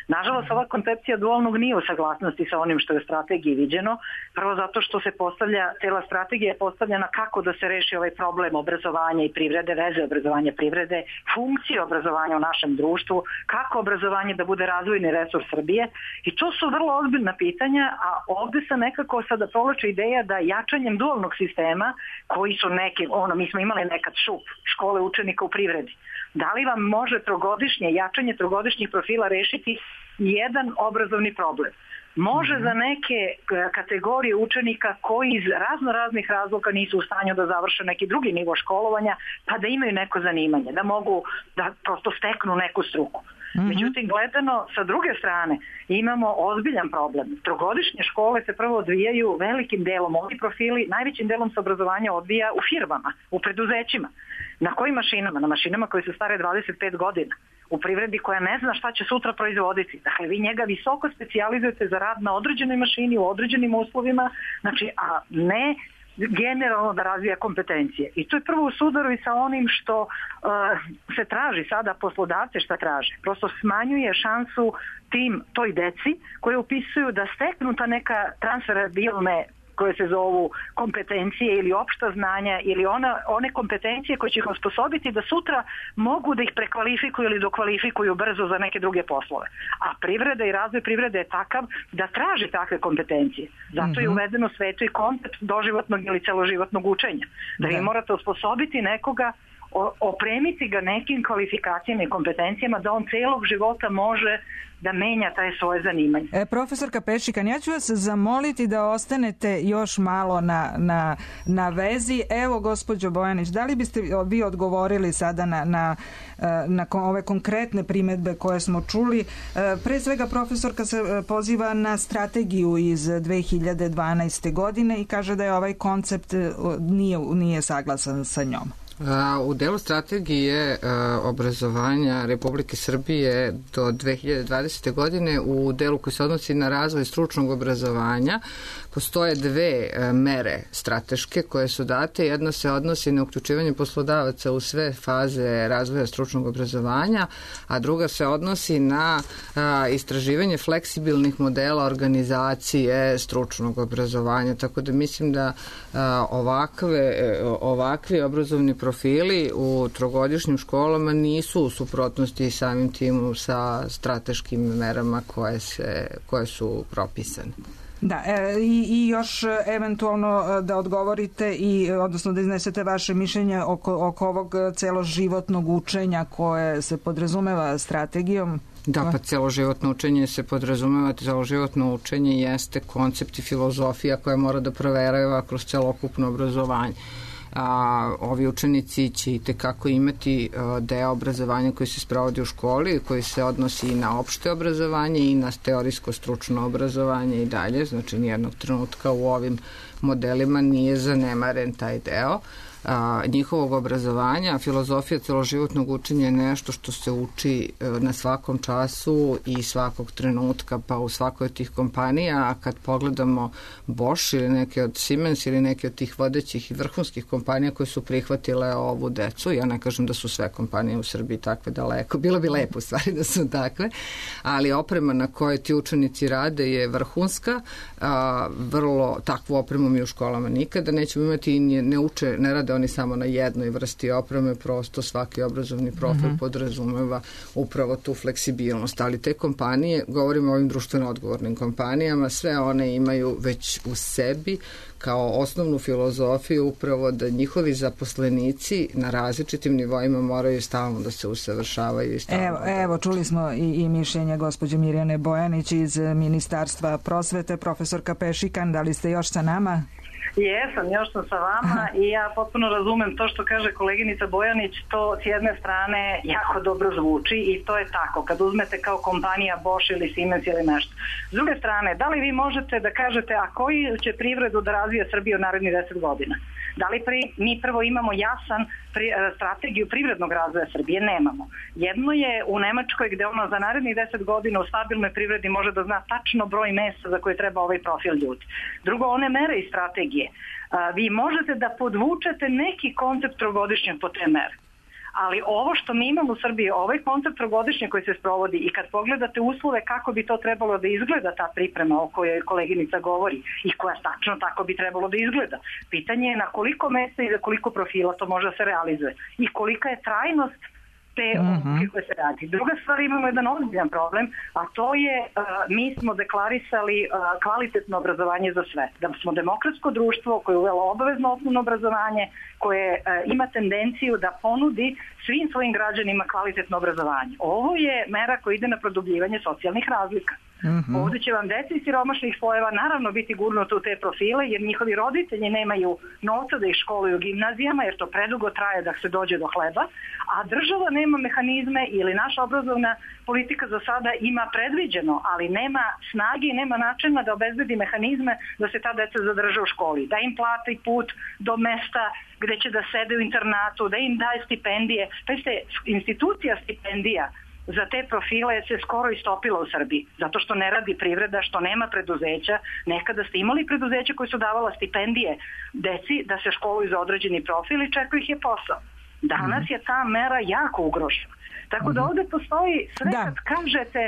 H: Nažalost, ova koncepcija dualnog nije u saglasnosti sa onim što je u strategiji viđeno, prvo zato što se cela strategija je postavljena kako da se reši ovaj problem obrazovanja i privrede, veze obrazovanja i privrede, funkcije obrazovanja u našem društvu, kako obrazovanje da bude razvojni resurs Srbije i to su vrlo ozbiljna pitanja, a ovde se nekako sada provlači ideja da jačanjem dualnog sistema, koji su neki, mi smo imali nekad ŠUP, škole učenika u privredi, da li vam može jačanje trogodišnjih profila rešiti jedan obrazovni problem? Može za neke kategorije učenika koji iz raznih razloga nisu u stanju da završe neki drugi nivo školovanja, pa da imaju neko zanimanje, da mogu da prosto steknu neku struku. Međutim, gledano sa druge strane imamo ozbiljan problem. Trogodišnje škole se prvo odvijaju velikim delom, ovi profili najvećim delom se obrazovanja odvija u firmama, u preduzećima. Na kojim mašinama? Na mašinama koje su stare 25 godina. U privredi koja ne zna šta će sutra proizvoditi. Dakle, vi njega visoko specijalizujete za rad na određenoj mašini, u određenim uslovima, znači, a ne generalno da razvija kompetencije. I to je prvo u sudaru i sa onim što se traži sada, poslodavce šta traže. Prosto smanjuje šansu toj deci koje upisuju da steknu ta neka transferabilne koje se zovu kompetencije ili opšta znanja ili one kompetencije koje će ih osposobiti da sutra mogu da ih prekvalifikuju ili dokvalifikuju brzo za neke druge poslove. A privreda i razvoj privrede je takav da traži takve kompetencije. Zato je uvedeno u svetu i koncept doživotnog ili celoživotnog učenja. Da vi morate osposobiti nekoga, opremiti ga nekim kvalifikacijama i kompetencijama da on celog života može da menja taj svoje zanimanje.
D: Profesorka Pešikan, ja ću vas zamoliti da ostanete još malo na vezi. Evo, gospođo Bojanić, da li biste vi odgovorili sada na ove konkretne primedbe koje smo čuli? Pre svega, profesorka se poziva na strategiju iz 2012. godine i kaže da je ovaj koncept nije saglasan sa njom.
E: U delu strategije obrazovanja Republike Srbije do 2020. godine u delu koji se odnosi na razvoj stručnog obrazovanja postoje dve mere strateške koje su date. Jedna se odnosi na uključivanje poslodavaca u sve faze razvoja stručnog obrazovanja, a druga se odnosi na istraživanje fleksibilnih modela organizacije stručnog obrazovanja. Tako da mislim da ovakvi obrazovni profili u trogodišnjim školama nisu u suprotnosti samim tim sa strateškim merama koje su propisane.
D: Da, i još eventualno da odgovorite odnosno da iznesete vaše mišljenje oko ovog celoživotnog učenja koje se podrazumeva strategijom.
E: Da, pa celoživotno učenje se podrazumeva, celoživotno učenje jeste koncept i filozofija koja mora da proverava kroz celokupno obrazovanje. Ovi učenici će itekako imati deo obrazovanja koji se sprovodi u školi, koji se odnosi i na opšte obrazovanje i na teorijsko stručno obrazovanje i dalje, znači nijednog trenutka u ovim modelima nije zanemaren taj deo njihovog obrazovanja. Filozofija celoživotnog učenja je nešto što se uči na svakom času i svakog trenutka, pa u svakoj od tih kompanija, a kad pogledamo Bosch ili neke od Siemens ili neke od tih vodećih i vrhunskih kompanija koje su prihvatile ovu decu, ja ne kažem da su sve kompanije u Srbiji takve daleko, bilo bi lepo u stvari da su takve, ali oprema na kojoj ti učenici rade je vrhunska, vrlo takvu opremu mi u školama nikada nećemo imati i ne rade oni samo na jednoj vrsti opreme, prosto svaki obrazovni profil podrazumeva upravo tu fleksibilnost, ali te kompanije, govorimo o ovim društveno odgovornim kompanijama, sve one imaju već u sebi kao osnovnu filozofiju upravo da njihovi zaposlenici na različitim nivoima moraju stalno da se usavršavaju.
D: Evo, čuli smo i mišljenje gospođe Mirjane Bojanić iz Ministarstva prosvete. Profesorka Pešikan, da li ste još sa nama?
H: Jesam, još sam sa vama i ja potpuno razumem to što kaže koleginica Bojanić, to s jedne strane jako dobro zvuči i to je tako, kad uzmete kao kompanija Bosch ili Siemens ili nešto. S druge strane, da li vi možete da kažete, a koji će privredu da razvija Srbiju u narednih 10 godina? Da li mi prvo imamo jasan strategiju privrednog razvoja Srbije? Nemamo. Jedno je u Nemačkoj gde ono za narednih 10 godina u stabilnoj privredi može da zna tačno broj mesta za koje treba ovaj profil ljudi. Drugo, one mere i strategije. Vi možete da podvučete neki koncept trogodišnjeg po te mere. Ali ovo što mi imamo u Srbiji, ovaj koncept trogodišnje koji se sprovodi i kad pogledate uslove kako bi to trebalo da izgleda ta priprema o kojoj koleginica govori i koja tačno tako bi trebalo da izgleda. Pitanje je na koliko mesta i za koliko profila to može da se realizuje i kolika je trajnost te odluke koje se radi. Druga stvar, imamo jedan ozbiljan problem, a to je mi smo deklarisali kvalitetno obrazovanje za sve. Da smo demokratsko društvo koje je uvelo obavezno osnovno obrazovanje, koje ima tendenciju da ponudi svim svojim građanima kvalitetno obrazovanje. Ovo je mera koja ide na produbljivanje socijalnih razlika. Ovdje će vam deca iz siromašnih slojeva naravno biti gurnuto u te profile jer njihovi roditelji nemaju novca da ih školuju u gimnazijama jer to predugo traje da se dođe do hleba, a država nema mehanizme ili naša obrazovna politika za sada ima predviđeno, ali nema snage i nema načina da obezbedi mehanizme da se ta deca zadrže u školi, da im plati put do mesta gde će da sede u internatu, da im daje stipendije. Institucija stipendija za te profile se skoro istopila u Srbiji, zato što ne radi privreda, što nema preduzeća. Nekada ste imali preduzeća koji su davala stipendije deci da se školuju za određeni profil i čekao ih je posao. Danas je ta mera jako ugrožena. Tako da ovde postoji sve kad kažete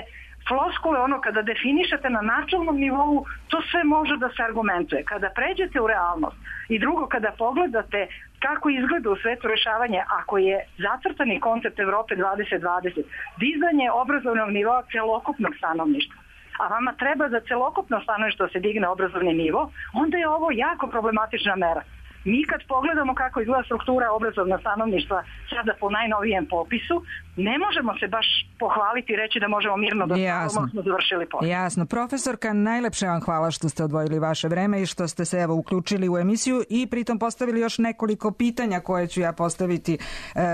H: floskule, kada definišete na načelnom nivou, to sve može da se argumentuje. Kada pređete u realnost i drugo, kada pogledate kako izgleda u svetu rešavanje, ako je zacrtani koncept Evrope 2020, dizanje obrazovnog nivoa celokupnog stanovništva, a vama treba za celokupno stanovništvo se digne obrazovni nivo, onda je ovo jako problematična mera. Mi kad pogledamo kako izgleda struktura obrazovnog stanovništva sada po najnovijem popisu, ne možemo se baš pohvaliti i reći da možemo mirno da smo završili posao.
D: Jasno. Profesorka, najlepše vam hvala što ste odvojili vaše vreme i što ste se evo uključili u emisiju i pritom postavili još nekoliko pitanja koje ću ja postaviti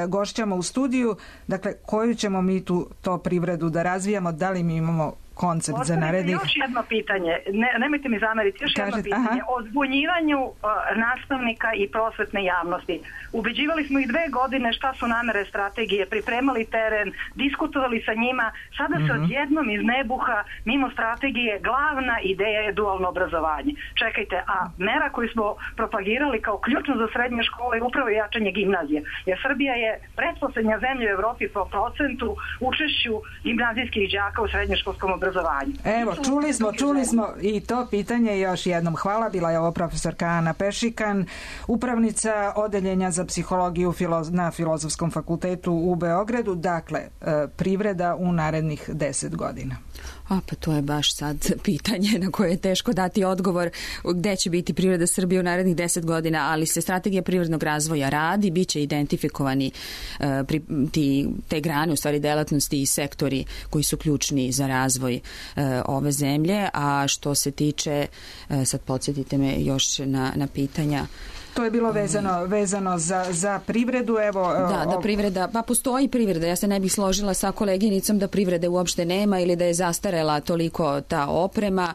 D: gošćama u studiju. Dakle, koju ćemo mi to privredu da razvijamo, da li mi imamo koncept za narednih...
H: Još jedno pitanje, nemojte mi zameriti, jedno pitanje o zbunjivanju nastavnika i prosvetne javnosti. Ubeđivali smo ih 2 godine šta su namere strategije, pripremali teren, diskutovali sa njima, sada se odjednom iz nebuha, mimo strategije, glavna ideja je dualno obrazovanje. Čekajte, a mera koju smo propagirali kao ključnu za srednje škole je upravo jačanje gimnazije, jer Srbija je pretposlednja zemlja u Evropi po procentu učešću gimnazijskih đaka u srednjoškolskom obrazovanju.
D: Evo, čuli smo i to pitanje još jednom. Hvala, bila je ovo profesorka Ana Pešikan, upravnica odeljenja za psihologiju na Filozofskom fakultetu u Beogradu. Dakle, privreda u narednih 10 godina.
B: Pa to je baš sad pitanje na koje je teško dati odgovor gde će biti privreda Srbije u narednih 10 godina, ali se strategija privrednog razvoja radi, bit će identifikovani te grane, u stvari delatnosti i sektori koji su ključni za razvoj ove zemlje, a što se tiče, sad podsjetite me još na pitanja.
D: To je bilo vezano za privredu. Evo,
B: da, privreda, pa postoji privreda. Ja se ne bih složila sa koleginicom da privrede uopšte nema ili da je zastarela toliko ta oprema.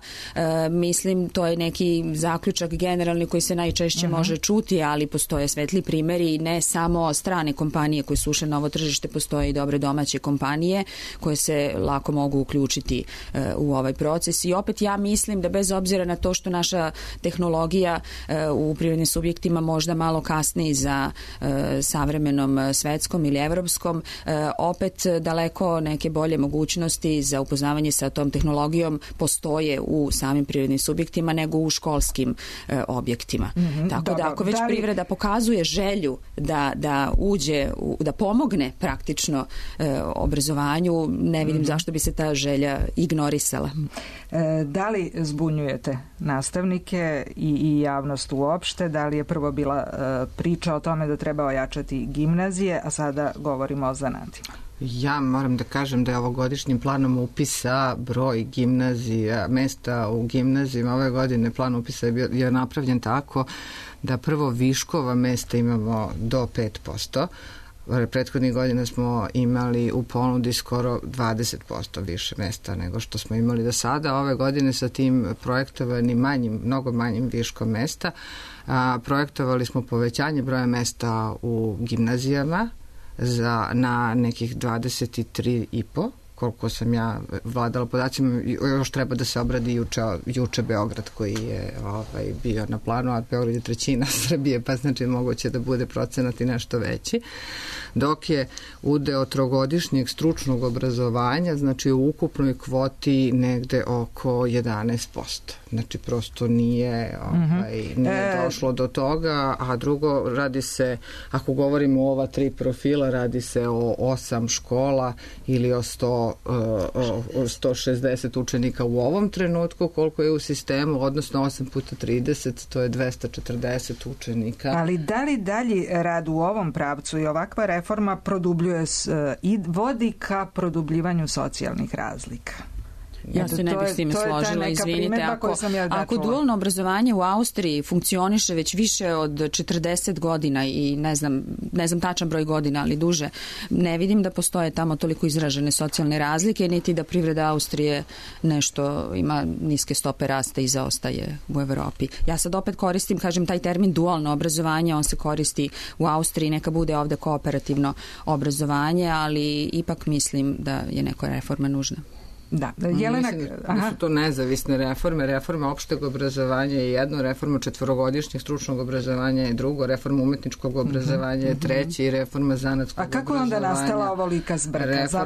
B: Mislim, to je neki zaključak generalni koji se najčešće može čuti, ali postoje svetli primjeri, ne samo strane kompanije koje su ušle na ovo tržište, postoje i dobre domaće kompanije koje se lako mogu uključiti u ovaj proces. I opet ja mislim da bez obzira na to što naša tehnologija u privrednim subjektima možda malo kasniji za savremenom svetskom ili evropskom, opet daleko neke bolje mogućnosti za upoznavanje sa tom tehnologijom postoje u samim privrednim subjektima nego u školskim objektima. Tako da ako već privreda pokazuje želju da uđe, da pomogne praktično obrazovanju, ne vidim zašto bi se ta želja ignorisala.
D: Da li zbunjujete nastavnike i javnost uopšte? Da li je prvo bila priča o tome da treba ojačati gimnazije, a sada govorimo o zanatima?
E: Ja moram da kažem da je ovogodišnjim planom upisa broj gimnazija, mesta u gimnazijima ove godine plan upisa je napravljen tako da prvo viškova mesta imamo do 5%. Prethodnih godina smo imali u ponudi skoro 20% više mesta nego što smo imali do sada. Ove godine sa tim projektovanim mnogo manjim viškom mesta projektovali smo povećanje broja mesta u gimnazijama na nekih 23,5, koliko sam ja vladala podacima. Još treba da se obradi juče Beograd koji je bio na planu, a Beograd je trećina Srbije, pa znači moguće da bude procenat i nešto veći. Dok je udeo trogodišnjeg stručnog obrazovanja, znači u ukupnoj kvoti negde oko 11%. Znači prosto nije došlo do toga, a drugo radi se, ako govorimo o ova 3 profila, radi se o 8 škola ili o 160 učenika u ovom trenutku, koliko je u sistemu, odnosno 8 puta 30, to je 240 učenika.
D: Ali da li dalji rad u ovom pravcu i ovakva reforma produbljuje i vodi ka produbljivanju socijalnih razlika?
B: Ja se ne bih s time složila, izvinite. Ako dualno obrazovanje u Austriji funkcioniše već više od 40 godina i ne znam tačan broj godina, ali duže, ne vidim da postoje tamo toliko izražene socijalne razlike, niti da privreda Austrije nešto ima niske stope rasta i zaostaje u Evropi. Ja sad opet koristim, kažem, taj termin dualno obrazovanje, on se koristi u Austriji, neka bude ovde kooperativno obrazovanje, ali ipak mislim da je neka reforma nužna.
D: Da, Jelena...
E: Mislim da su to nezavisne reforme. Reforma opšteg obrazovanja je jedno, reforma 4-godišnjeg stručnog obrazovanja je drugo, reforma umetničkog obrazovanja je treći i reforma zanatskog obrazovanja.
D: A kako je onda nastala ovolika zbrka?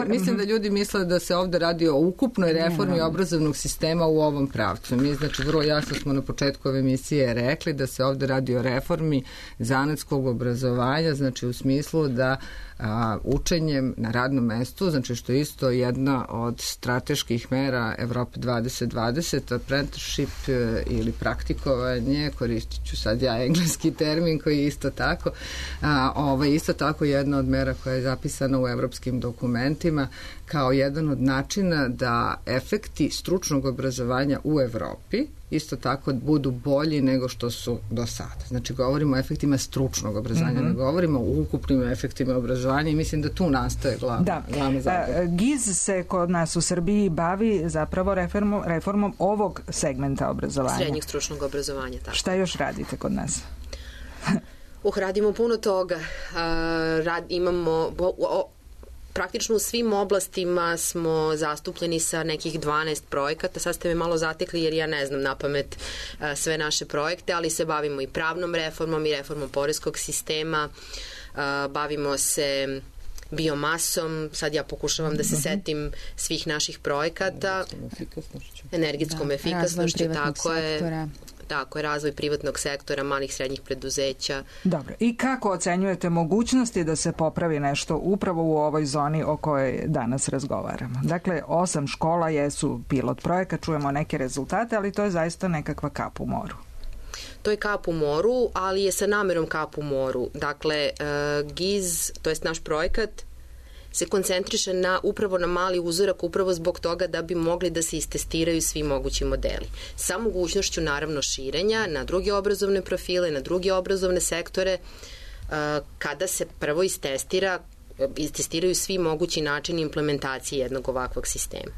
E: Mislim da ljudi misle da se ovde radi o ukupnoj reformi obrazovnog sistema u ovom pravcu. Mi, znači, vrlo jasno smo na početku ove emisije rekli da se ovde radi o reformi zanatskog obrazovanja, znači u smislu da učenjem na radnom mestu, znači što je isto jedna od strateških mera Evrope 2020, apprenticeship ili praktikovanje, koristit ću sad ja engleski termin koji je isto tako, isto tako jedna od mera koja je zapisana u evropskim dokumentima kao jedan od načina da efekti stručnog obrazovanja u Evropi isto tako budu bolji nego što su do sada. Znači, govorimo o efektima stručnog obrazovanja, ne govorimo o ukupnim efektima obrazovanja i mislim da tu nastaje glavna zapravo.
D: GIZ se kod nas u Srbiji bavi zapravo reformom ovog segmenta obrazovanja.
F: Srednjeg stručnog obrazovanja, tako.
D: Šta još radite kod nas?
F: Radimo puno toga. Imamo... Praktično u svim oblastima smo zastupljeni sa nekih 12 projekata. Sad ste me malo zatekli jer ja ne znam napamet sve naše projekte, ali se bavimo i pravnom reformom i reformom poreskog sistema. Bavimo se biomasom. Sad ja pokušavam da se setim svih naših projekata. Energetskom efikasnošću. Tako je, razvoj privatnog sektora, malih srednjih preduzeća.
D: Dobro. I kako ocenjujete mogućnosti da se popravi nešto upravo u ovoj zoni o kojoj danas razgovaramo? Dakle, 8 škola jesu pilot projekat, čujemo neke rezultate, ali to je zaista nekakva kap u moru.
F: To je kap u moru, ali je sa namerom kap u moru. Dakle, GIZ, to jest naš projekat, se koncentriše upravo na mali uzorak, upravo zbog toga da bi mogli da se istestiraju svi mogući modeli. Sa mogućnošću naravno širenja na druge obrazovne profile, na druge obrazovne sektore, kada se prvo istestiraju svi mogući načini implementacije jednog ovakvog sistema.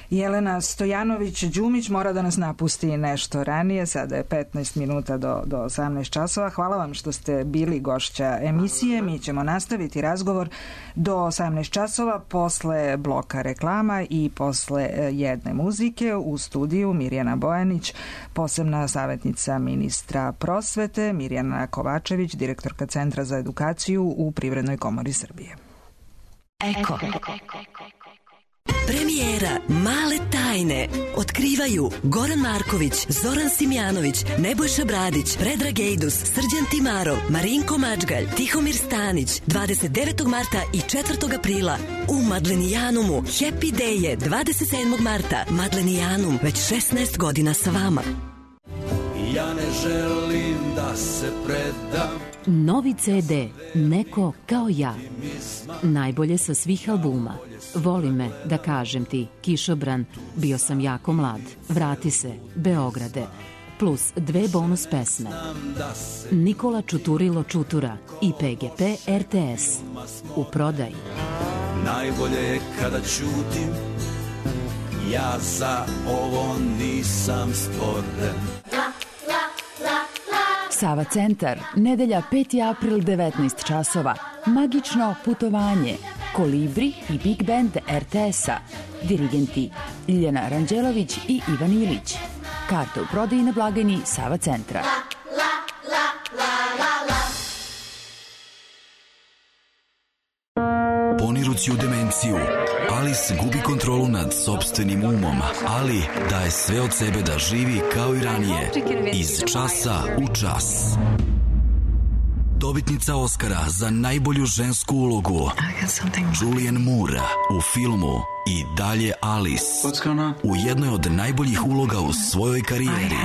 D: Jelena Stojanović-Đumić mora da nas napusti nešto ranije, sada je 15 minuta do 18 časova. Hvala vam što ste bili gošća emisije. Mi ćemo nastaviti razgovor do 18 časova posle bloka reklama i posle jedne muzike. U studiju Mirjana Bojanić, posebna savjetnica ministra prosvete, Mirjana Kovačević, direktorka Centra za edukaciju u Privrednoj komori Srbije.
I: Eko. Premijera Male tajne otkrivaju Goran Marković, Zoran Simjanović, Nebojša Bradić, Predrag Ejdus, Srđan Timarov, Marinko Mačgalj, Tihomir Stanić, 29. marta i 4. aprila u Madlenijanumu. Happy Day je 27. marta. Madlenijanum, već 16 godina sa vama.
J: Ja ne želim da se predam.
K: Novi CD Neko kao ja. Najbolje sa svih albuma. Voli me, da kažem ti, Kišobran, Bio sam jako mlad, Vrati se, Beograde, plus 2 bonus pesme. Nikola Čuturilo Čutura i PGP RTS. U prodaji.
J: Najbolje je kada ćutim, ja za ovo nisam stvoren.
L: Sava centar, nedelja 5. april 19 časova. Magično putovanje. Kolibri i Big Band RTS-a. Dirigenti Ljiljana Ranđelović i Ivan Ilić. Karte u prodaji na blagajni Sava centra.
M: Ponirući u demenciju, Alice gubi kontrolu nad sopstvenim umom, ali daje sve od sebe da živi kao i ranije, iz časa u čas. Dobitnica Oscara za najbolju žensku ulogu Julianne Moore u filmu I dalje Alice, u jednoj od najboljih uloga u svojoj karijeri.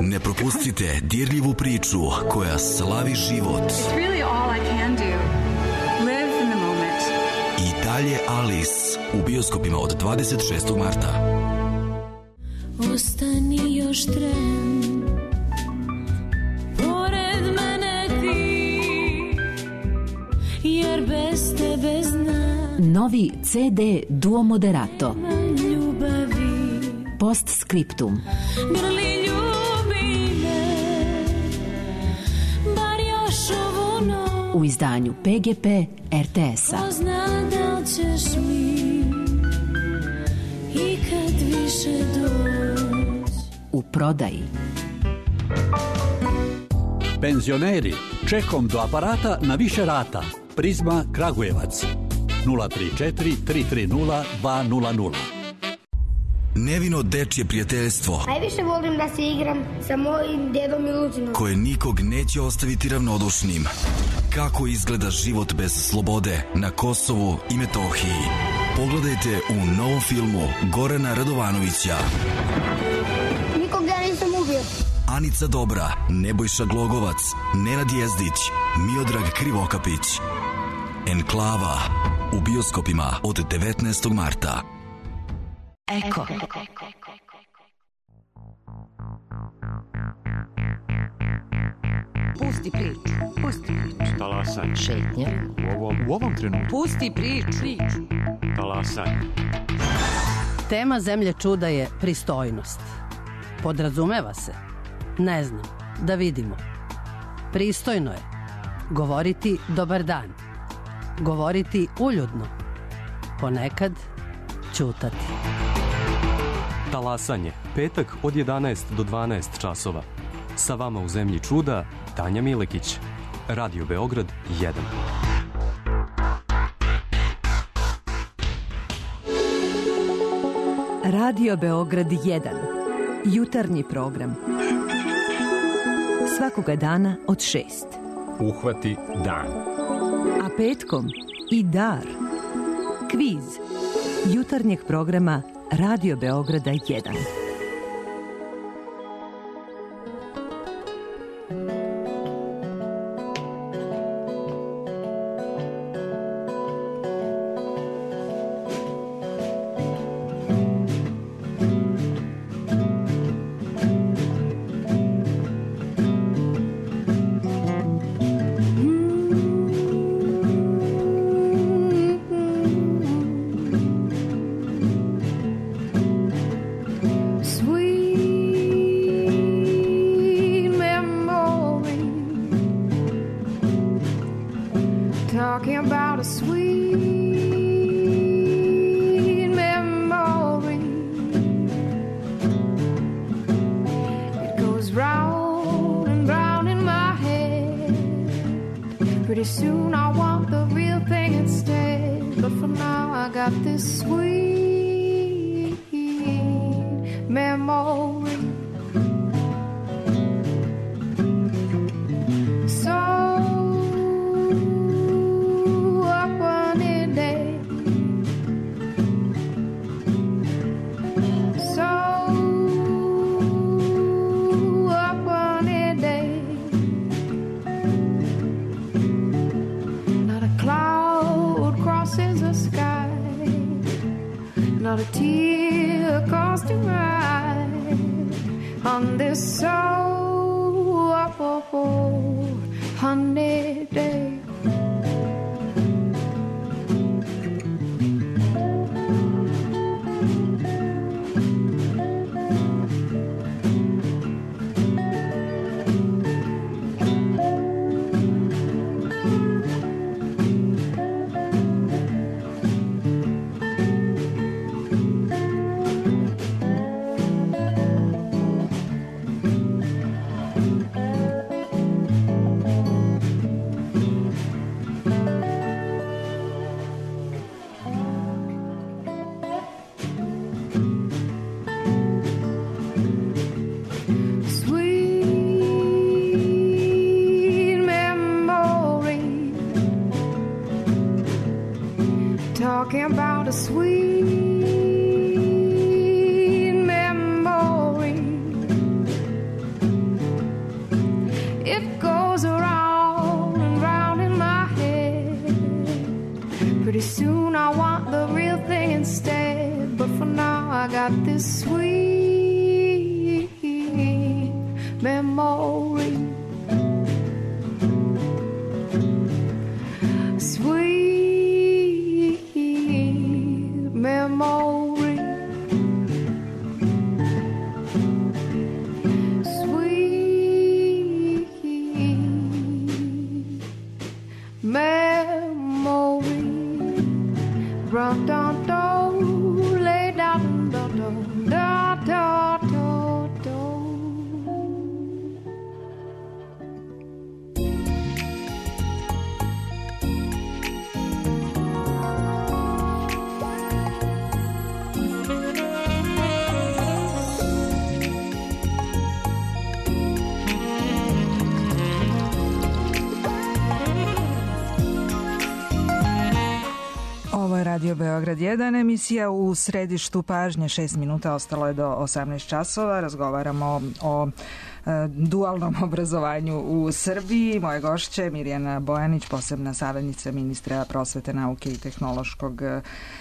M: Ne propustite dirljivu priču koja slavi život. I dalje Alice u bioskopima od 26. marta.
N: Ostani još tren, pored mene ti, jer bez tebe znam.
K: Novi CD Duo Moderato. Postscriptum.
N: Grli ljubi me, bar još ovu noć.
K: U izdanju PGP RTS-a.
N: Ko zna da li ćeš mi ikad više doći.
K: U prodaji.
O: Penzioneri, čekom do aparata na više rata. Prizma Kragujevac 034 330 200.
M: Nevino dečje prijateljstvo.
P: Najviše volim da se igram sa mojim dedom Miluđinom,
M: koje nikog neće ostaviti ravnodušnim. kako izgleda život bez slobode na Kosovu i Metohiji. Pogledajte u novom filmu Gorana Radovanovića.
P: Nikog ja nisam ubio.
M: Anica Dobra, Nebojša Glogovac, Nenad Jezdić, Miodrag Krivokapić. Enklava u bioskopima od 19. marta.
I: Eko.
A: Pusti priču. Pusti priču.
Q: Talasaj.
A: Šetnja.
Q: U ovom trenutku.
A: Pusti priču.
Q: Talasaj.
R: Tema Zemlje čuda je pristojnost. Podrazumeva se? Ne znam. Da vidimo. Pristojno je govoriti dobar dan. Govoriti uljudno. Ponekad ćutati.
Q: Talasanje. Petak od 11 do 12 časova. Sa vama u Zemlji čuda Tanja Milekić. Radio Beograd 1.
S: Radio Beograd 1. Jutarnji program. Svakoga dana od 6.
Q: Uhvati dan.
S: A petkom i dar. Kviz. Jutarnjeg programa Radio Beograda 1.
N: Talking about a sweet memory. It goes around and round in my head. Pretty soon I want the real thing instead. But for now I got this sweet memory. Memory, sweet memory. Run, dun, dun, lay down, dun, dun, dun.
D: Radio Beograd 1, emisija u središtu pažnje, 6 minuta, ostalo je do 18 časova. Razgovaramo o dualnom obrazovanju u Srbiji. Moje gošće Mirjana Bojanić, posebna savjetnica ministra prosvete, nauke i tehnološkog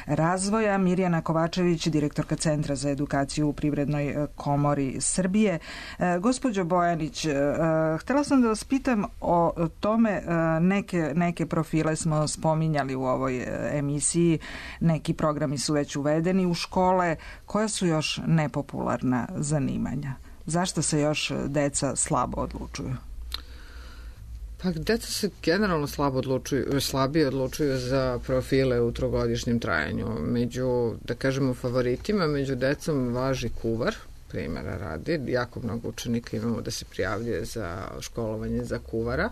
D: razvoja, Mirjana Kovačević, direktorka Centra za edukaciju u Privrednoj komori Srbije. Gospođo Bojanić, htela sam da vas pitam o tome, neke profile smo spominjali u ovoj emisiji, neki programi su već uvedeni u škole. Koja su još nepopularna zanimanja? Zašto se još deca slabo odlučuju?
E: Pa deca se generalno slabije odlučuju za profile u trogodišnjem trajanju. Među, da kažemo, favoritima, među decom važi kuvar, primjera radi. Jako mnogo učenika imamo da se prijavljuje za školovanje za kuvara,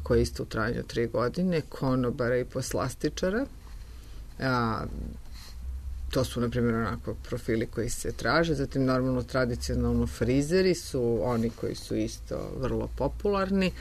E: koje je isto u trajanju 3 godine, konobara i poslastičara. To su, na primjer, onako profili koji se traže. Zatim, normalno, tradicionalno frizeri su oni koji su isto vrlo popularni.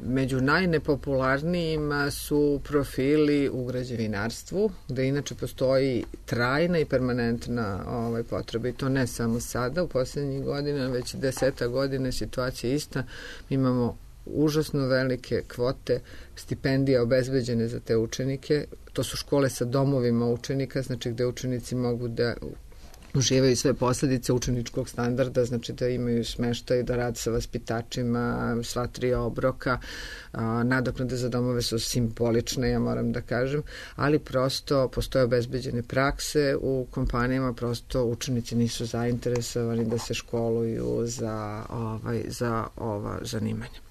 E: Među najnepopularnijima su profili u građevinarstvu, gde inače postoji trajna i permanentna potreba. I to ne samo sada, u posljednjih godina, već 10 godina situacija ista. Imamo užasno velike kvote stipendija obezbeđene za te učenike. To su škole sa domovima učenika, znači gde učenici mogu da uživaju sve posledice učeničkog standarda, znači da imaju smeštaj, da rade sa vaspitačima, sva 3 obroka. Nadoknade za domove su simbolične, ja moram da kažem, ali prosto postoje obezbeđene prakse u kompanijama, prosto učenici nisu zainteresovani da se školuju za ova zanimanja.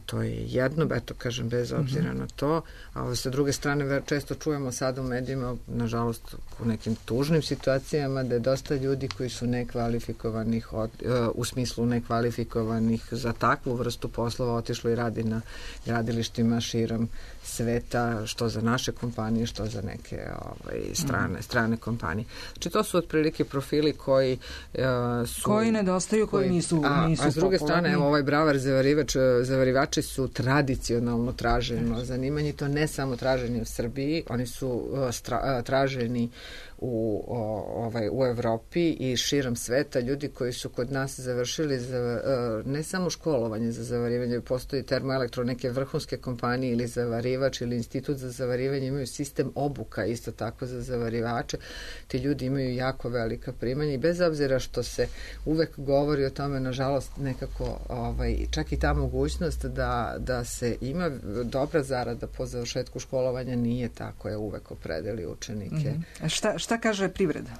E: To je jedno, eto kažem, bez obzira na to. A sa druge strane, često čujemo sada u medijima, nažalost, u nekim tužnim situacijama, da je dosta ljudi koji su nekvalifikovanih, u smislu nekvalifikovanih za takvu vrstu poslova, otišlo i radi na gradilištima širom sveta, što za naše kompanije, što za neke strane kompanije. Znači, to su otprilike profili koji su...
D: Koji nedostaju, koji nisu popularni.
E: A s druge strane, ovaj bravar zavarivači su tradicionalno traženo zanimanje i to ne samo traženi u Srbiji, oni su traženi u Evropi i širom sveta. Ljudi koji su kod nas završili ne samo školovanje za zavarivanje, postoji termoelektro, neke vrhunske kompanije ili zavarivač ili institut za zavarivanje, imaju sistem obuka isto tako za zavarivače. Ti ljudi imaju jako velika primanja i bez obzira što se uvek govori o tome, nažalost, nekako čak i ta mogućnost da se ima dobra zarada po završetku školovanja nije tako, je uvek opredeli učenike.
D: Šta kaže privreda?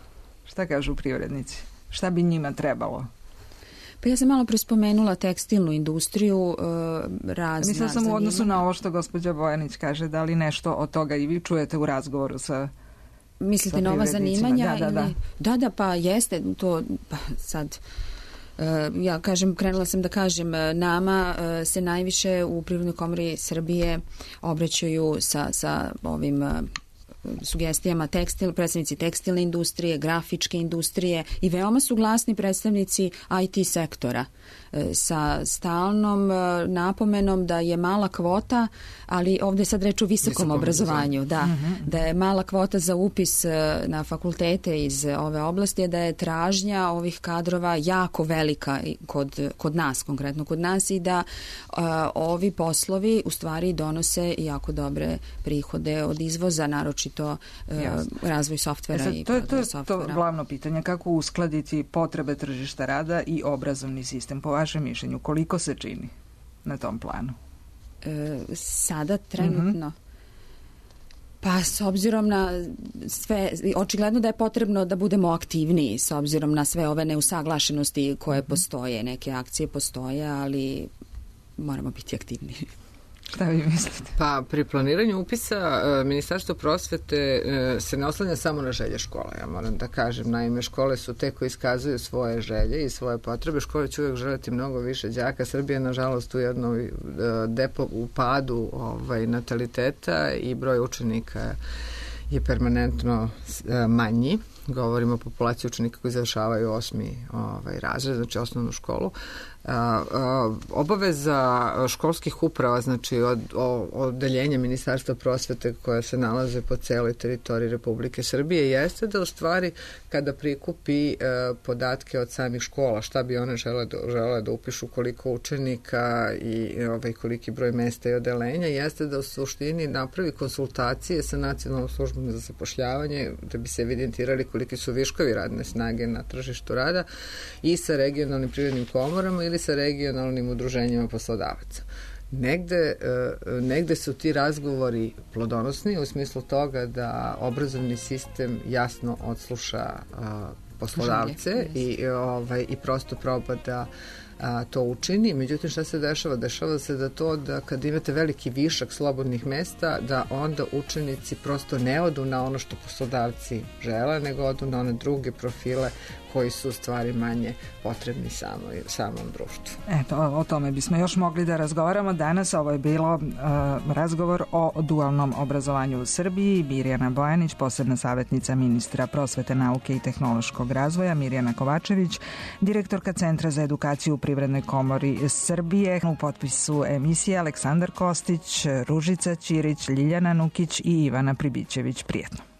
D: Šta kažu privrednici? Šta bi njima trebalo?
B: Pa ja sam malo prespomenula tekstilnu industriju, razna.
D: Mislila sam u odnosu na ovo što gospođa Bojanić kaže, da li nešto od toga i vi čujete u razgovoru sa
B: mislite na ova zanimanja? Da, pa jeste to, pa sad... Ja krenula sam da kažem, nama se najviše u Privrednoj komori Srbije obraćaju sa ovim sugestijama predstavnici tekstilne industrije, grafičke industrije i veoma su glasni predstavnici IT sektora sa stalnom napomenom da je mala kvota, ali ovdje je sad reč o visokom obrazovanju, da je mala kvota za upis na fakultete iz ove oblasti, da je tražnja ovih kadrova jako velika kod nas, konkretno kod nas, i da ovi poslovi u stvari donose jako dobre prihode od izvoza, naročito razvoj softvera i
D: to je glavno pitanje, kako uskladiti potrebe tržišta rada i obrazovni sistem. Po vašem mišljenju, koliko se čini na tom planu?
B: Sada trenutno pa s obzirom na sve, očigledno da je potrebno da budemo aktivniji s obzirom na sve ove neusaglašenosti koje postoje, neke akcije postoje, ali moramo biti aktivniji.
D: Šta vi mislite?
E: Pa pri planiranju upisa Ministarstvo prosvete se ne oslanja samo na želje škole, ja moram da kažem. Naime, škole su te koje iskazuju svoje želje i svoje potrebe. Škole će uvijek želiti mnogo više đaka. Srbija je, nažalost, u jednom u padu nataliteta i broj učenika je permanentno manji. govorimo o populaciji učenika koji završavaju 8. razred, znači osnovnu školu. Obaveza školskih uprava, znači od odeljenja Ministarstva prosvete koja se nalaze po celoj teritoriji Republike Srbije, jeste da u stvari kada prikupi podatke od samih škola, šta bi one žele da upišu, koliko učenika i koliki broj mesta i odeljenja, jeste da u suštini napravi konsultacije sa Nacionalnom službom za zapošljavanje da bi se evidentirali koliki su viškovi radne snage na tržištu rada i sa regionalnim privrednim komorama ili sa regionalnim udruženjima poslodavaca. Negde su ti razgovori plodonosni u smislu toga da obrazovni sistem jasno odsluša poslodavce i prosto proba da to učini. Međutim, šta se dešava? Dešava se da kad imate veliki višak slobodnih mesta, da onda učenici prosto ne odu na ono što poslodavci žele, nego odu na one druge profile koji su u stvari manje potrebni samom društvu.
D: Eto, o tome bismo još mogli da razgovaramo. Danas ovo je bilo razgovor o dualnom obrazovanju u Srbiji. Mirjana Bojanić, posebna savjetnica ministra prosvete, nauke i tehnološkog razvoja, Mirjana Kovačević, direktorka Centra za edukaciju u Privrednoj komori Srbije. U potpisu emisije Aleksandar Kostić, Ružica Ćirić, Ljiljana Nukić i Ivana Pribićević. Prijetno.